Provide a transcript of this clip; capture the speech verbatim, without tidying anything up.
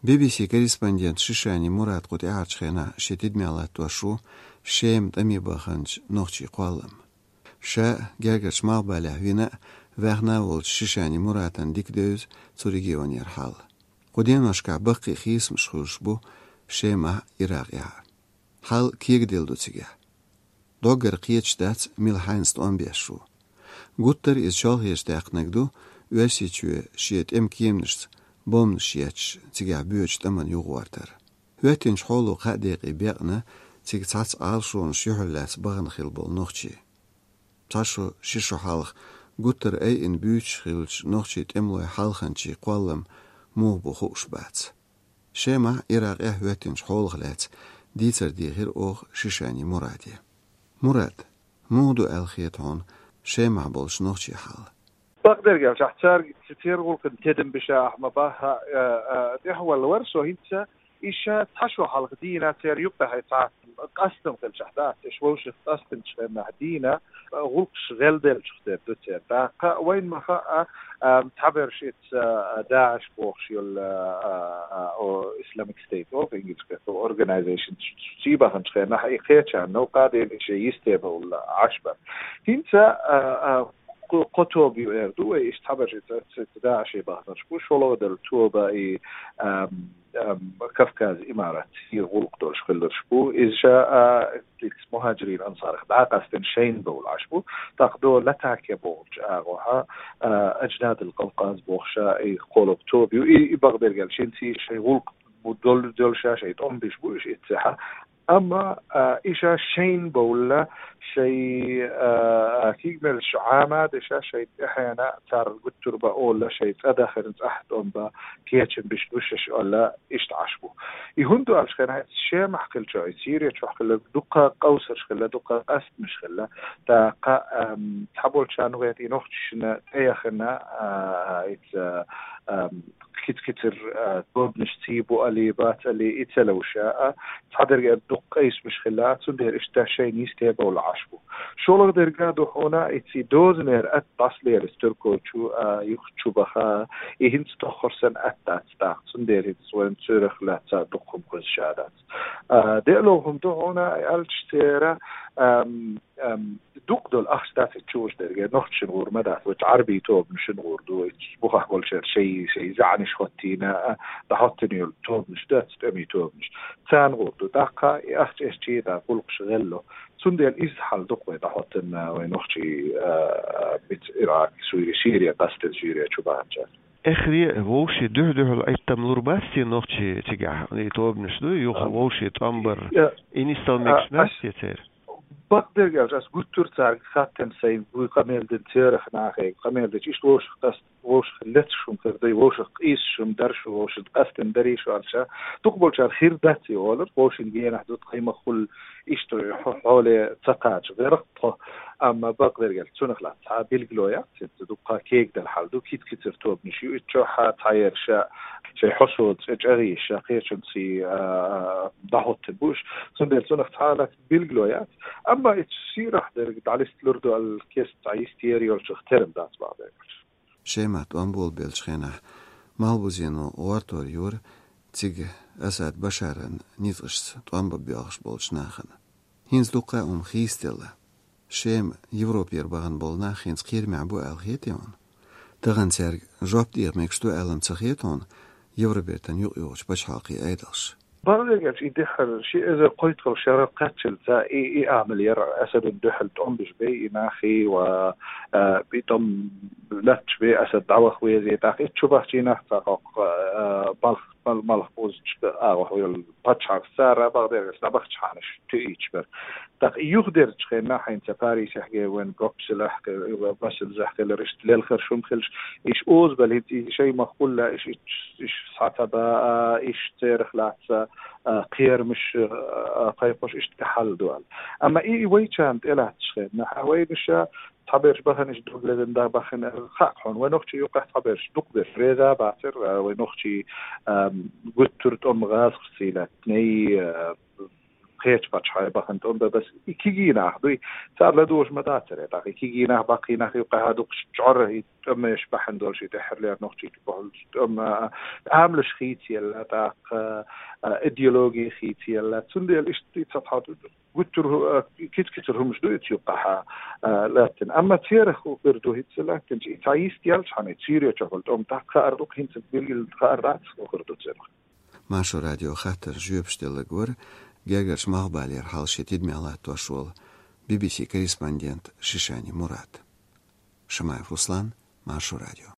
Би-би-си корреспондент Шишани Мурад кху тӀаьхьарчу хенахь шен тидамехь латтош ву Шема тӀаме баханчу нохчийн кхоллам. Ша гергарчу малхбалехь вина а, ваьхна а волчу Шишани Мурадна дика девза цу регионера хьал. Кху деношкахь баккхий хийцамаш хуьлуш бу Шемахь а, Иракъехь а. Хьал кегаделла ду цигахь. Доггара кхеташ дац, мила хьайнца тӀом беш ву. Гуттар а иза чолхечу даьккхинарг ду, Оьрсийчоь шен тӀеман кеманашца бомбанаш етташ цигахь боьдучу тӀамна юхагӀортар. ХӀоьттинчу хьоло кхаа декъе бекъна цига цхьацца Ӏалашонаш юьхьарлаьцна бахана хилла болу нохчий. Цхьа шо, ши шо хьалха гуттар а айина буьйцуш хиллачу нохчийн тӀемалойн хьалханчийн кхоллам муха бу хууш бац. Шемахь а, Иракъехь а хӀоьттинчу хьолах лаьцна дийцар дийхира оха Шишани Мураде. Мурад, муха ду аьлла хета хьуна Шемахь болчу нохчийн хьал? Бакъдерг аьлча, ахь цаьрга ц-, церан гӀуллакхна тидам беш ахь ма баха, а, а, тӀаьхьавалла вара со хӀинца, и ша цхьа шо хьалха дийна церан юккъехь цхьа къастам хилчахь дац, уьш вовшах къастамчу хенахь дийна, а, гӀуллакхаш гӀелделлачух тера ду церан. ТӀаккха вайна ма хаьа, а, цхьаберш ица, а, ДАИШ бохуш йолу, а, а, а, о, Islamic State, о, ингилчкъе, о, органайзейшн, ций баханчу хенахь, и кхечарна новкъа дийна, и шен йисте бовла Ӏаш бара. ХӀинца, а, а, кхо, кхо тоба ю эр ду вай, иштта цхьаберш ица, ица, ица ДАИШе баханарш бу, шолгӀа долу тоба и, ам, ам, Кавказ имарат, и гӀуллакх долуш хилларш бу. Иза ша, а, ица мухӀаджирийн ансарах дӀа а къастина шайна бовла Ӏаш бу. ТӀаккха до Латакия бохучу агӀохьа, а, Аджнадул Къавкъаз бохуша, и кхоалгӀа тоба ю. И, и бакъдерг аьлча, хӀинца и шайн гӀуллакх бу, долу, долу ша шайн тӀом беш бу, уьш иццехьа. Амма, а, и ша шайна бовла, шайн, а, а, кигмелш Ӏама а деш, шайн тӀаьхьенна цара гуттар а бан олла, шайн цӀа дахарна цӀахь тӀом бан кечам беш бу шаьш олла, иштта Ӏаш бу. И хӀунда аьлча хенахь, Шемахь хилча, и Сири чохь хилла, дуккха къовсарш хилла, дуккха къастамаш хилла. ТӀаккха, ам, цхьаболчарна гӀерта и нохчашна тӀеяхана, а, ица, ам, киц-кицар, а, тобанаш ций бу али, бац али, и ца ловша, а, цхьадерг а дукха къийсамаш хилла, цундела иштта шайна йисте бовла Ӏаш бу. ШолгӀа дерг а ду хьуна, и ций дозанера атта дӀасалелаш Туркойчу, а, юха чу баха, и хӀинца тоххар санна атта дац тӀаккха, цундела хӀинца вайн цуьрах лаьцна дукха хӀума хуьзуш а дац. А, деалов хӀума ду хьуна, аьлча церан, ам, ам, дукха долу ахча дац и чу вуш дерг, нохчашна гӀур ма дац, вачу Ӏарбий тобанашна гӀур ду, и бухахь болчеран шай, шай заьӀанаш хӀоттийна, а, дӀахӀоттийна йолу тобанаш дац, тӀемийн тобанаш. Царна гӀур ду. ТӀаккха и ахча эшчи тӀаккха гӀуллакхаш гӀелло. Цундела иза хьал ду-кх вай дӀахӀоттийна, вай нохчий, а, а, биц Ирак, Суьри, Сирия, къастина Сирия чу баханчара. Эххар а вовшийн дуьхь-дуьхьал Ӏиттам лур бац те нохчий цигахь, и тобанаш ду, юха вовшийн тӀом бар, и нисдала мегаш дац те церан? Бакъдерг аьлча, ас гуттар а цаьрга хаттина сайн, вуй къамел дина церах нахе, къамел дича иштта вовшах къаст-, вовшах лецаш хӀума хир дай, вовшах къийсаш хӀума дар шу, вовшах къастина дарий шу аьлча, дукхахболчара хир дац и олар, вовшийн генахь ду, тхайн ма-хуьллу, иштта хьо-, хьоле ца кхача гӀерта тхо, амма бакъдерг аьлча, цунах лаьцна цхьа билгало яц. Цу дуккха кегадала хьал ду, киц-кицар тобанаш ю, и чохь цхьаерш шайн хьо-, шайн хьо-, со цӀе чӀагӀйеш, кхечунций, а, а, дӀахӀоттийна бу уьш. Цундела цунах цхьа лаьцна билгало яц. Амма и Сирахь дерг дӀалисталур ду аьлла, кеста цхьа йистера йолчух терам дац бакъдерг аьлча. Шемахь тӀом болабеллачу хенахь Малхбузено гӀортор йора цига Асад Башаран ницкъашца тӀом бан боьлхуш болчу нахана. ХӀинца дуккха а хӀума хийцаделла. Шема Европера бахана болу нах хӀинца кхерамехь бу аьлла хетий хьуна? Тахана цаьрга жоп деха мегаш ду аьлла-м ца хета хьуна Евробертан юкъайогӀучу пачхьалкхийн Ӏедалш? Бакъдерг аьлча, и дуьххьара ши эзар кхойтталгӀа шарал кхаччалца и, и амал яра Асадна дуьхьал тӀом беш бен и нахий ва, а, и тӀом латташ бен Асад дӀаваха везий, тӀаккха и чу бахчий нах цхьа кхоккха, а, балх, бал-, малх бузучу агӀо хьо йолу пачхьалкх цара бакъдерг аьлча дӀабахчахьана туьйцуш бара. ТӀаккха и юхадерчу хенахь хӀинца Парисехь гена вайн Брюсселехь, Брюсселехь хилар иштта лелхар шуна хилча, иш озабала хӀинца и шайн ма-хуьллу, иш, иш, иш схьа ца ба, а, иш церах лаьцна, а, кхерамаш, а, кхайкхош иштта хьал ду аьлла. Амма и вайчарна тӀелатташ хенахь, вайна ша цхьаберш бахана иш дог лезна дӀа бахана, хаьа хьуна, вай нохчий юккъехь цхьаберш, дукхаберш реза бацара, а, вай нохчий, а, гуттар а тӀом гӀазкхашций лаьттиней, а, кхечу пачхьалкхе бахана тӀом бан, бес и кегий нах дуй, цара ладугӀуш ма дацара, тӀаккха и кегий нах, баккхий нах юкъахь дукхаш чӀор и тӀемаш бахьана долуш, и тӀаьххьарлера нохчий бахьалчу тӀеман, а, амалш хийцаелла, тӀаккха, а, идеологи хийцаелла. Цундела иштта и цхьа тхьа гуттар а, киц-кицар хӀумаш ду и цу юкъахь, а, лаьттина. Амма церах хӀун хир ду хӀинца лаьттинчу, и цхьа йист яьлча хьуна, и Сирия чохь болу тӀом тӀаккха хаар ду-кх, хӀинца билггал хаар дац хӀун хир ду церах. Маршо радио хаттарна жоьпаш делларг вара Гергарчу Малхбалера хьал шен тидамехь латтош волу Би-би-си корреспондент Шишани Мурад. Шамаев Руслан, Маршо радио.